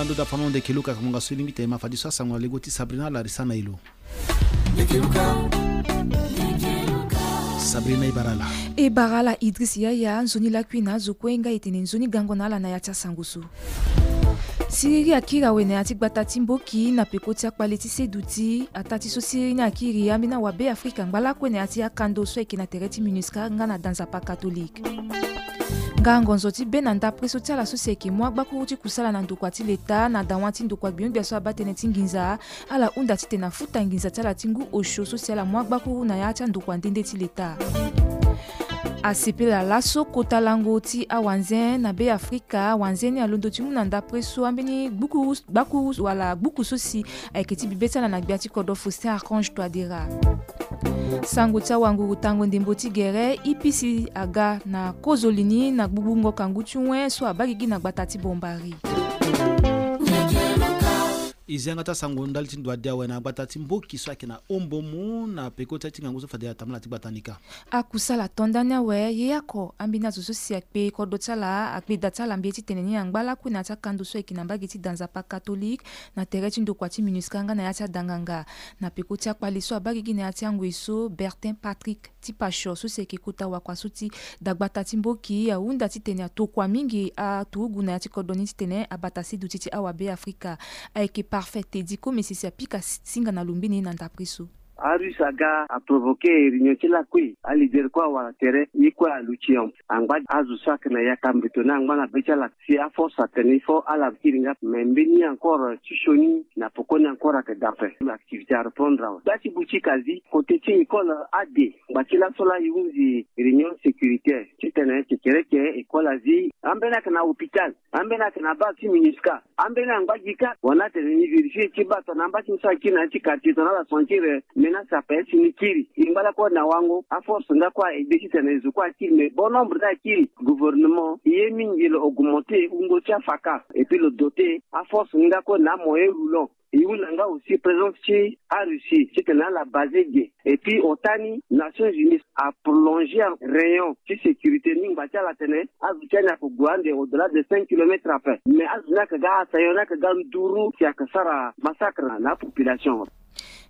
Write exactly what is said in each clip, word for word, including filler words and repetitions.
Ando da fano ndeke luka kamonga so e lingbi tene ma fadi so asango na lego ti Sabrina Larissa na elo. Sabrina, e bara ala. E bara ala Idriss Yaya, nzoni lakui na azo kue nga e tene nzoni gango na ala na ya ti asango so. Siriri akiri awe na ya ti gbata ti Mboki na peko ti akpale ti seduti. Ataa ti so siriri ni akiri ambeni awabe Afrika ngba lakue na ya ti akando so ayeke na tere ti MINUSCA nga na danzapa katolike. Nga ngonzo ti be na ndapre so ti ala so si ayeke mu agbakuru ti kusala na ndokua ti leta na dawa ti ndokua gbio-gbia so abaa tënë ti nginza, ala hunda titene afuta nginza ti ala ti ngu osio so si ala mu agbakuru na ya ti andokua nde nde ti leta. Asepela laso kota lango ti awanze na Be Afrika. Awanze ni alondo ti mu na ndapre so ambeni gbukuru, gbakuru wala gbuku so si ayeke ti bibe ti ala na gbia ti kodro Faustin Archange Touadéra. Sango ti awanguru tango ndembo ti gere, I P C aga na kozoli ni na gbugbungo kangu ti wen so abaa gigi na gbata ti Bombari. E zi yanga ti asango ndali ti ndo ade awe na gbata ti Mboki so ayeke na Ombomu na peko ti ngangu so fade atambula ti gbata ni kâ. Akusala to ndani awe, ye oko ambeni azo so si akpe kodro ti ala, akpe da ti ala mbi ye titene ni angba lakue na ya ti akando so ayeke na mbage ti danzapa katolike na tere ti ndokua ti MINUSCA nga na ya ti adanganga. Na peko ti akpale so abaa gigi na ya ti angoi so, Bertin Patrick ti Pasho so si ayeke kota wakua so ti dagbata ti Mboki ahunda titene atokua mingi aturugu na ya ti kodro ni titene abata seduti ti awabe Afrika. Ayeke Parfait Teddy Komesi si apika singa na lo mbeni na ndapre so. Arusse aga aprovoke réunion ti lakui, aleader kue awara tere, ye kue aluti en. Angba azo so ayeke na yaka mbeto ni angba na be ti ala si aforce atene il faut ala kiri nga. Mais mbeni encore ti sioni na pokoni encore ayeke da ape. Activité areprendre awe. Gba ti boutique azi, côté ti école ade. Ngba ti laso laa e hunzi réunion sécuritaire titene kekereke école azi. Ambeni ayeke na hôpital. Ambeni ayeke na base ti MINUSCA. Ambeni angba gi kâ. Wani atene ni vérifier ti baa tongana amba ti ni so akiri na ya ti quartier tongana ala sentir menace ape si ni kiri. E ngba lakue na wango aforce nga kue a-aider titene zo kue akiri, mais bon nombre ni akiri. Gouvernement e ye mingi lo augmenter wungo ti afaka et puis lo doter aforce nga kue na amoyen roulant. E hunda nga aussi présence ti Arussie titene ala baser ge. Et puis ota ni Nations Unies aprolonger rayon ti sécurité ni ngba ti ala atene azo ti ani ako gue ande au-delà de cinq kilomètres ape. Mais azo ni ayeke ga assaillant ni ayeke ga nduru si ayeke sara massacre na apopulation.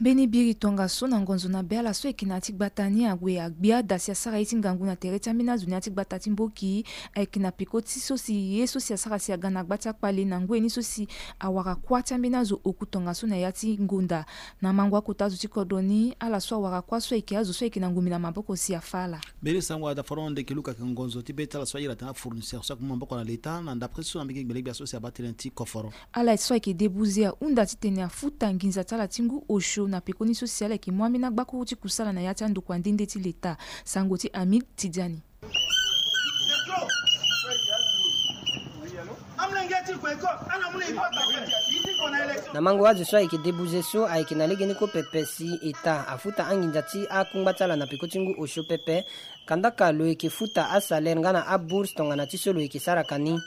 Mbeni biri tongaso na ngonzo na be ala so ayeke na ya ti gbata ni ague agbia da si asara ye ti ngangu na tere ti ambeni azo na ya ti gbata ti Mboki. Ayeke na peko ti so si ye so si asara si aga na gba ti akpale na ngoi ni so si awara kuâ ti ambeni azo oku tongaso na ya ti ngonda. Na mango akota azo ti kodro ni, ala so awara kuâ so ayeke azo so ayeke na ngombe na maboko si afâ ala. Mbeni sango ada foro ndeke luka ayeke ngonzo ti be ti ala so ayeke na afournisseur so ayeke mu maboko na leta na ndapre so na mbege gbele gbia so si abaa tënë ti koforo. Ala so ayeke debuze ahunda titene afuta nginza ti ala ti ngu osio na pekoni so si ala yeke mu ambeni agbakuru ti kusala na ya ti andokua nde nde ti leta. Sango ti Hamid Tidiane. Na mango azo so ayeke debuze so ayeke na legeni kue pepe si eta afuta anginza ti akungba ti ala na peko ti ngu osio pepe. Kandaka lo yeke futa asalaire nga na abourse tongana ti so lo yeke sara ka ni.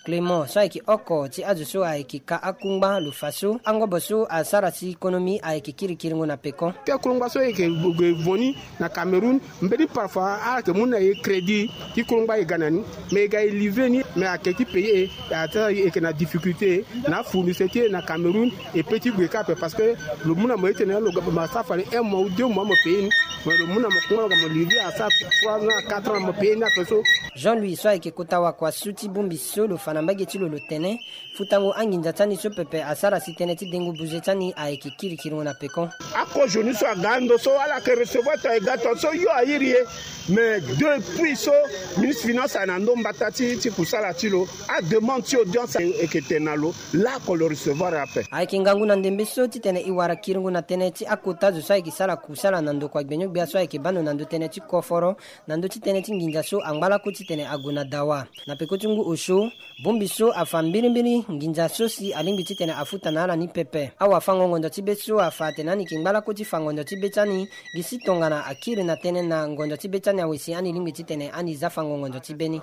Clément so ayeke oko ti azo so ayeke ka akungba lo fa so angobo so asara si konomi ayeke kirikiringo na peko. Ti akungba so e yeke gue voni na Cameroun, mbeni parfois ala yeke mu na e crédit ti kungba e ga na ni. Mais e ga e livrer ni, mais ayeke ti payer e, e yeke na difficulté na afournisseur ti e na Cameroun. E peut ti gue kâ ape parce que lo mu na mo ye ti tene lo ma sara fade un mois ou deux mois mo payer ni. Mais lo mu na mo kungba lo ga mo livrer asara trois ans, quatre ans mo payer ni ape so. Jean Louis so ayeke kota wakua so ti bongbi so lo fa na mbage ti lo lo tene futango anginza ti ani so pepe asara si tënë ti dengo buze ti ani ayeke kirikiringo na pekon. Akozoni so aga ando so ala yeke recevoir ton e ga ton so yo airi e. Mais depuis so ministre finance ayeke na ndo mbata ti ti kusala ti lo, ademande ti audience e yeke tene na lo, laoko lo recevoir ape. Ayeke ngangu na ndembe so titene e wara kiringo na tënë ti akota zo so ayeke sara kusala na ndokua gbenigbia so ayeke baa ndo na ndö tënë ti koforo na ndö ti tënë ti nginza so angba lako titene ague na dawa. Na peko ti ngu osio, bongbi so afa mbirimbiri nginza so si alingbi titene afuta na ala ni pepe. Awafango-ngonzo ti be so afa atene ani yeke ngba lako ti fa ngonzo ti be ti ani, gi si tongana akiri na tënë na ngonzo ti be ti ani awe si ani lingbi titene ani za fango ngonzo ti be ni.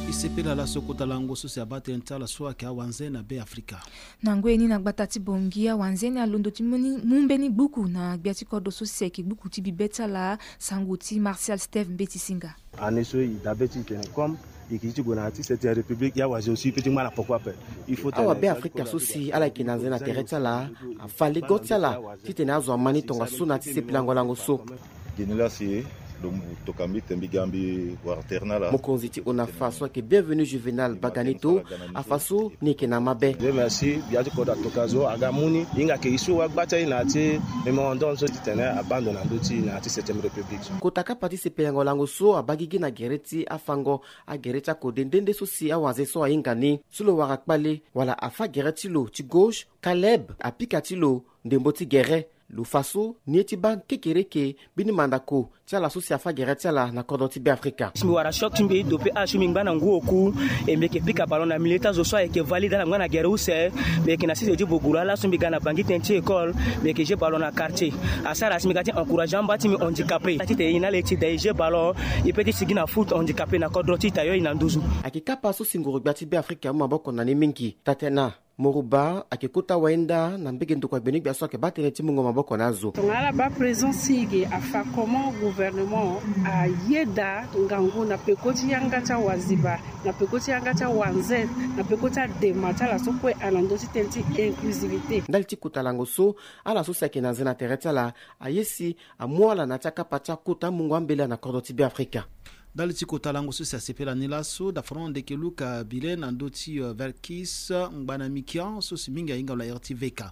E Sepela laso kota lango so si abaa tënë ti ala so ayeke awanze na Be Afrika. Na ngoi ni na gbata ti Bangui, awanze ni alondo ti mu ni, mu mbeni gbuku na gbia ti kodro so si ayeke gbuku ti bibe ti ala, sango ti Martial Steve Mbeti Singa. Année so e dabe ti tene comme e yeke ti gue na ya ti septième république, ya wazi aussi e peut ti ngba na poko ape. Il faut awa tene Be Afrika so si ala yeke na nze na tere ti ala afa lego ti ala titene azo ama ni tongaso na ya ti sepelango lango so. Gini la si lo mu toka mbi tene mbi ga mbi wara tere na ala. Mokonzi ti ONAFA so ayeke Bienvenu Juvenal Baganito afa so ni yeke na mabe. Dieu merci, gbia ti kodro atoka zo aga mu ni, e hinga ke e so wagba ti aye na ya ti mémorandum so titene abando na ndö ti e na ya ti septième république. Kota kapa ti sepelango lango so abaa gigi na gere ti afango agere ti akode nde nde so si awanze so ahinga ni. So lo wara kpale wala afa gere ti lo ti gauche, Caleb apika ti lo ndembo ti gere. Lo fa so ni ye ti baa kekereke mbeni mandako ti ala so si afa gere ti ala na kodro ti Be Afrika. Si mbi wara choc ti mbi dope âge so mbi ngba na ngu oku, e mbi yeke pika ballon na milieu ti azo so ayeke valide ala ngba na gere use. Mbi yeke na six de ti boguru ala so mbi ga na Bangui tënë ti école, mbi yeke jeu ballon na quartier. Asara si mbi ga ti encourager amba ti mbi handicapé titene e na ala e ti da e jeu ballon, e peut ti sigi na foot handicapé na kodro ti ita yo e na nduzu. Ayeke kapa so si nguru gbia ti Be Afrika amu maboko na ni mingi. Tatena Moruba ayeke kota wayenda na mbege ndokua gbeni gbia so ayeke baa tënë ti mungo maboko na azo. Tongana ala baa présence ti e ge, afa comment gouvernement ayeda ngangu na peko ti yanga ti awaziba, na peko ti yanga ti awanze, na peko ti adema ti ala so kue ana ndö ti tënë ti inclusivité. Ndali ti kota lango so, ala so si ayeke na nze na tere ti ala aye si amu ala na ya ti akapa ti akota mungo ambela na kodro ti Be Afrika. Ndali ti kota lango so si asepela ni laso, dafono ndeke Luka Bile na ndö ti, euh, Verkis Ngbana Mikian so si mingi ahinga lo na ere ti V K.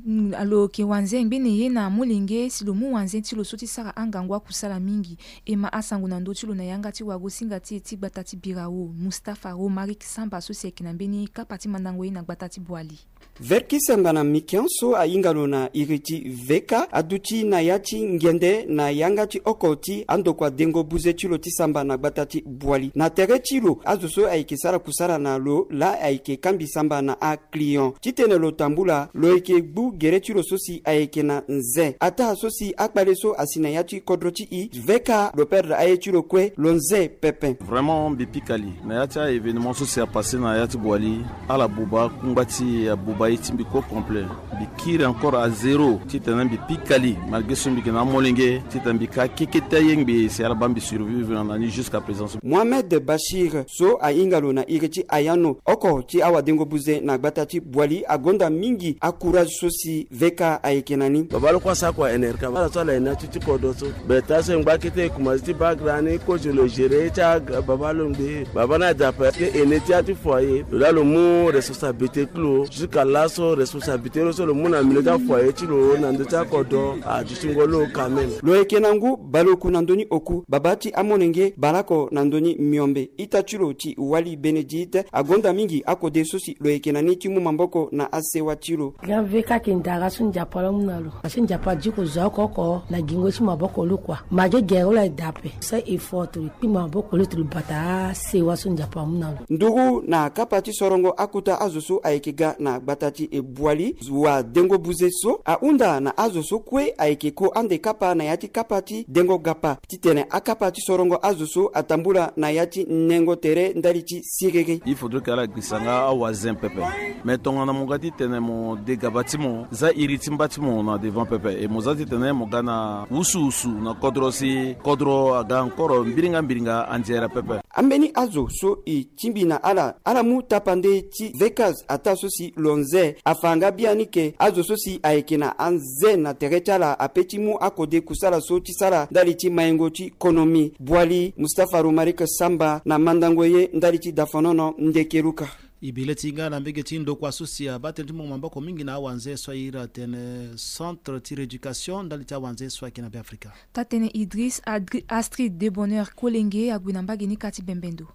Mm, alo yeke wanze ngbene ye na amolenge si lo mu wanze ti lo so ti sara angangu akusala mingi. E ma asango na ndö ti lo na yanga ti wagosinga ti e ti gbata ti Birao, Mustapha Romaric Samba so si ayeke na mbeni kapa ti mandango ye na gbata ti Boali. Verkis Ngbana Mikian so ahinga lo na iri ti V K aduti na ya ti ngende na yanga ti oko ti andokua dengo buze ti lo ti samba na gbata ti Boali. Na tere ti lo, azo so ayeke sara kusala na lo laa ayeke kambi samba na aclient. Titene lo tambula, lo yeke gbu gere ti lo so si ayeke na nze. Ataa so si akpale so asi na ya ti kodro ti e, V K lo perdre aye ti lo kue, lo nze pepe. Vraiment mbi pika li na ya ti a-événement so si apasse na ya ti Boali. Ala buba kungba ti e, abuba ye ti mbi kue complet. Mbi kiri encore à zéro titene mbi pika li, malgré so mbi yeke na amolenge, titene mbi ka keke ti ayengbe si ala baa mbi survivre na ni jusqu'à présent. Mohamed Bachir so ahinga lo na iri ti Ayano, oko ti awadengo buze na gbata ti Boali, agonda mingi acourage so si V K ayeke na ni. Baba lo kue asara kua N R K, ala so ala yeke na ya ti ti kodro so. Beta so e ngba kete e kumazi ti baa gara ni, kozo lo géré ti aga baba lo ngbe. Baba ni adape ke aîné ti ya ti foyer, lo laa lo mu responsabilité ti lo. Jusqu'à laso responsabilité lo so lo mu na milieu ti afoyer ti lo na ndö ti akodro adutingo lo quand même. Lo yeke na ngu baleoku na ndö ni oku, baba ti amolenge baleoko na ndö ni miombe. Ita ti lo ti Wali Bénédicte agonda mingi akode so si lo yeke na ni ti mu maboko na asewa ti lo. Grand V K ayeke ndara so Nzapa lo amu na lo. Parce que Nzapa azi ko zo oko oko na gingo ti maboko lo kua. Malgré gere lo aye daa ape, so effort lo kpi maboko lo ti lo bata asewa so Nzapa amu na lo. Nduru na kapa ti sorongo akota azo so ayeke ga na gbata ti Boali, wadengo buze so ahunda na azo so kue ayeke ko ande kapa na ya ti kapa ti dengo gapa, titene akapa ti sorongo azo so atambula na ya ti nengo tere ndali ti siriri. Il faudrait que ala gbisa nga awazen pepe. Mais tongana mo ga titene mo de gaba ti mo, za iri ti mba ti mo na devant pepe, e mo za titene mo ga na wusuwusu na kodro si kodro aga encore mbiringa mbiringa anzere pepe. Ambeni azo so e tingbi na ala, ala mu tapande ti V K ataa so si lo nze. Afa nga biani ke azo so si ayeke na anze na tere ti ala ape ti mu akode kusala so ti sara ndali ti maingo ti konomi. Boali, Mustapha Romaric Samba na mandango ye ndali ti dafonono ndeke Luka. E bi le ti hinga na mbege ti ndokua so si abaa tënë ti mungo maboko mingi na awanze so a iri atene centre ti rééducation ndali ti awanze so ayeke na Be Afrika. Taa-tënë Idriss Adri-, Astrid de Bonheur Kolenge ague na mbage ni ka ti bembendo.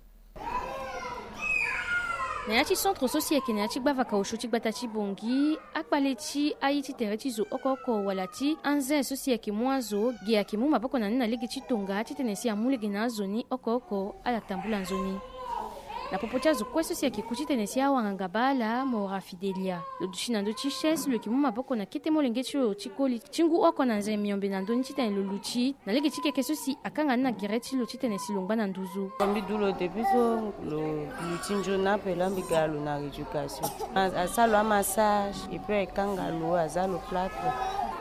Na ya ti centre so si ayeke na ya ti gbavaka osio ti gbata ti Bangui, akpale ti aye ti tere ti zo oko oko wala ti anze so si ayeke mu azo ge ayeke mu maboko na ni na lege ti tonga titene si amu lege na azo ni oko oko ala tambula nzoni. Na popo ti azo kue so si ayeke ku titene si awanganga baa ala Mora Fidelia, lo duti na ndö ti chaise, lo yeke mu maboko na kete molenge ti lo ti koli ti ngu oko na nze miombe na ndö ni titene lo luti na lege ti keke so si akanga ni na gere ti lo titene si lo ngba na nduzu. Mbi du lo depuis so lo luti nzoni ape, la mbi ga lo na rééducation. A- asara lo amassage et puis akanga lo, aza lo plâtre.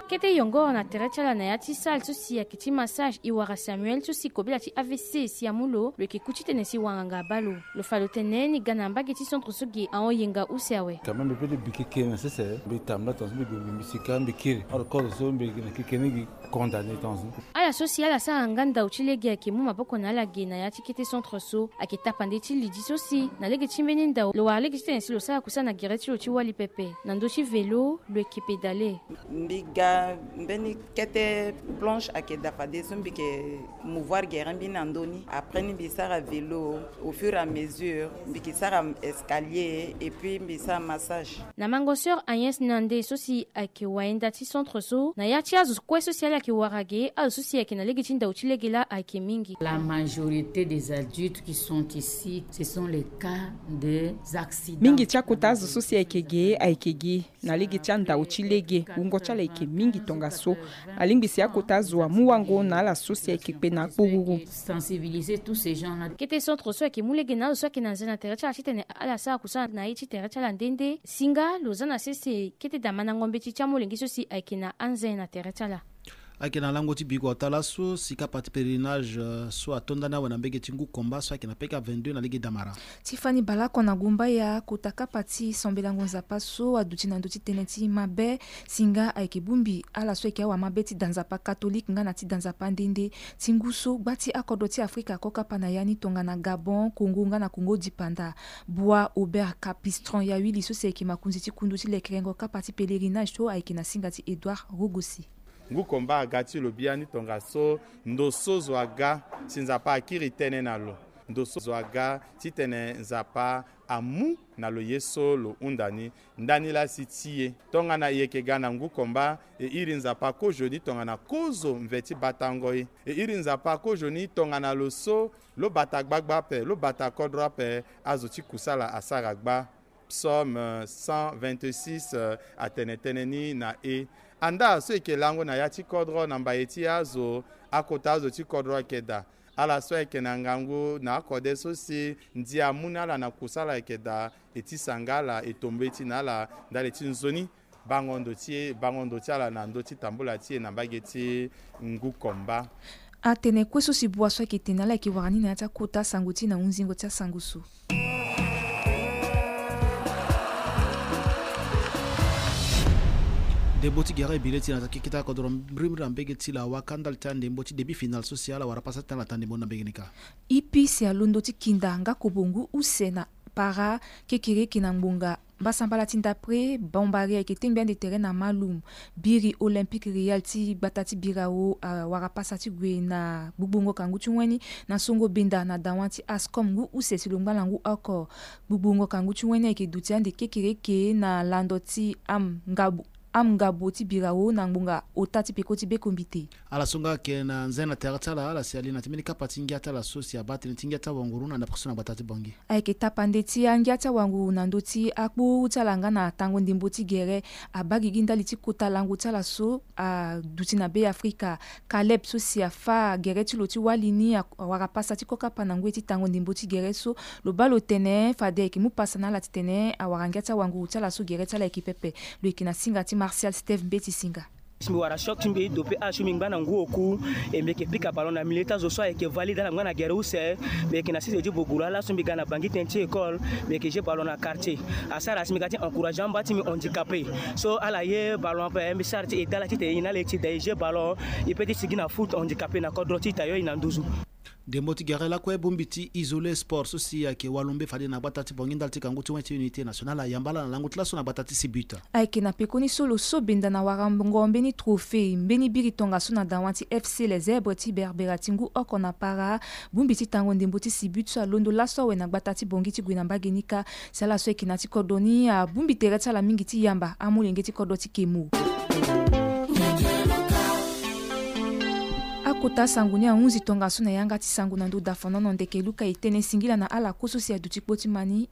Kete yongoro na tere ti ala na ya ti salle so si ayeke ti massage, e wara Samuel so si kobela ti A V C si amu lo, lo yeke ku titene si wanganga abaa lo. Lo fa lo tene ni ga na mbage ti centre so ge ahon yenga use awe. Quand même, mbi peut ti bi keke na sese, mbi tambula tongaso, mbi gue mbi si ka mbi kiri. Or, cause so mbi na keke ni gi condamné tongaso. Ala so si ala sara nga ndau ti lege ayeke mu maboko na ala ge na ya ti kete centre so, ayeke tapande ti lidi so si na lege ti mbeni ndau lo wara lege titene si lo sara kusala na gere ti lo ti wali pepe. Na ndö ti vélo, lo yeke pédalé. Mbi ga mbeni kete planche ayeke da fade so mbi yeke mouvoir gere mbi na ndö ni. Après ni mbi sara vélo au fur et à mesure, mbi yeke sara escalier et puis mbi sara massage. Na mango sœur Agnès Nande so si ayeke wayenda ti centre so, na ya ti azo kue so si ala yeke wara ge, azo so si ayeke na lege ti ndau ti lege laa ayeke mingi. La majorité des adultes qui sont ici, ce sont les cas des accidents. Mingi ti akota azo so si ayeke ge ayeke ge na lege ti andau ti lege. Wungo ti ala ayeke mingi tongaso. Alingbi si akota azo amu wango na ala so si ayeke kpe na akpururu. Sensibiliser tous ces gens-là. Kete centre so ayeke mu lege na azo so ayeke na nze na tere ti ala titene ala sara kusala na ye ti tere ti ala nde nde. Singa lo za na sese kete damandango mbeti ti amolenge so si ayeke na anze na tere ti ala. Ayeke na lango ti biko ota laso si kapa ti pèlerinage, euh, so atonda ni awe na mbege ti ngu komba so ayeke na P K vingt-deux na lege damara. Ti fani baleoko na gumbaya, kota kapa ti sambelango Nzapa so aduti na ndö ti tënë ti mabe. Singa ayeke bongbi ala so ayeke awamabe ti da Nzapa katolike nga na ti da Nzapa nde nde. Ti ngu so gba ti akodro ti Afrika ako kapa na ya ni tongana Gabon, Congo nga na Congo dipanda. Bua Aubert Capistron, ya wili so si ayeke makonzi ti kundu ti lekerengo kapa ti pèlerinage so ayeke na singa ti Edouard Rogosi. Ngu komba aga ti lo biani tongaso, ndo so zo aga si Nzapa akiri tënë na lo. Ndo so zo aga titene Nzapa amu na lo ye so lo hunda ni. Ndani laa si ti e tongana e yeke ga na ngu komba, e iri Nzapa kozoni tongana kozo mve ti batango e. E iri Nzapa kozoni tongana lo so lo bata gbagba ape, lo bata kodro ape, azo ti kusala asara gba. Psaume, euh, cent vingt-six, euh, atene tënë ni na e. Andaa so e yeke lango na ya ti kodro na mbaye ti azo, akota azo ti kodro ayeke daa. Ala so ayeke na ngangu na akode so si ndia amu na ala na kusala ayeke daa, e tisa nga ala, e to mbeti na ala ndali ti nzoni. Bango ndo ti e, bango ndo ti ala na ndö ti tambula ti e na mbage ti ngu komba. Atene kue so si bua so ayeke tene na ala ayeke wara ni na ya ti akota sango ti e na hunzingo ti asango so. Ndembo ti gere e bi le ti na keke ti akodro mbirimbiri na mbege ti lawa ka ndali ti andembo ti demi final so si ala wara pasa ti tanga taa ndembo na mbege ni ka. I P C alondo ti kinda nga kobo ngu use na para kekereke na ngbonga mbasambala ti ndapre. Bombari ayeke tengbi ande tere na Malum. Biri Olympique Real ti gbata ti Birao awara pasa ti gue na gbugbongo kangu ti weni na songo benda na dawa ti Ascom ngu use si lo ngba na ngu oko. Gbugbongo kangu ti weni ayeke duti ande kekereke na lando ti am ngabo am ngabo ti Birao na ngbonga ota ti peko ti bekombite. Ala so nga ayeke na nze na tere ti ala, ala si ali na ti mbeni kapa ti ngia ti ala so si abaa tënë ti ngia ti awanguru na ndapre so na gbata ti Bangui. Ayeke tapande ti angia ti awanguru na ndö ti akpuru ti ala nga na tango ndembo ti gere. Abaa gigi ndali ti kota lango ti ala so aduti na Be Afrika. Caleb so si afâ gere ti lo ti wali ni a- awara pasa ti kokapa na ngoi ti tango ndembo ti gere so. Lo baa lo tene fade ayeke mu pasa na ala titene awara ngia ti awanguru ti ala so gere ti ala ayeke pepe. Lo yeke na singa ti Martial Steve Mbeti Singa. Si mbi wara choc ti mbi dope âge so mbi ngba na ngu oku, e mbi yeke pika ballon na milieu ti azo so ayeke valide ala ngba na gere use. Mbi yeke na sese ti boguru ala so mbi ga na Bangui tënë ti école. Mbi yeke jeu ballon na quartier. Asara si mbi ga ti encourager amba ti mbi handicapé so ala ye ballon ape, mbi sara ti aidé ala titene e na ala e ti da e jeu ballon, e peut ti sigi na foot handicapé na kodro ti ita yo e na nduzu. Ndembo ti gere lakue bongbi ti Isolé Sport so si ayeke walombe fade na gbata ti Bangui ndali ti kangu ti wen ti Unité Nationale ayamba ala na lango ti laso na gbata ti Sibuta. Ayeke na pekoni so lo so benda na warango mbeni trophée mbeni biri tongaso na dawa ti F C Les Zèbres ti Berbera ti ngu oko na para. Bongbi ti tango ndembo ti Sibuta so alondo laso awe na gbata ti Bangui ti gue na mbage ni kâ. Si ala so ayeke na ti kodro ni abongbi tere ti ala mingi ti yamba amolenge ti kodro ti Kemo. Kota sango ni ahunzi tongaso na yanga ti sango na ndö dafanono ndeke luka e tene singila na ala kue so si aduti kpo ti ma ni.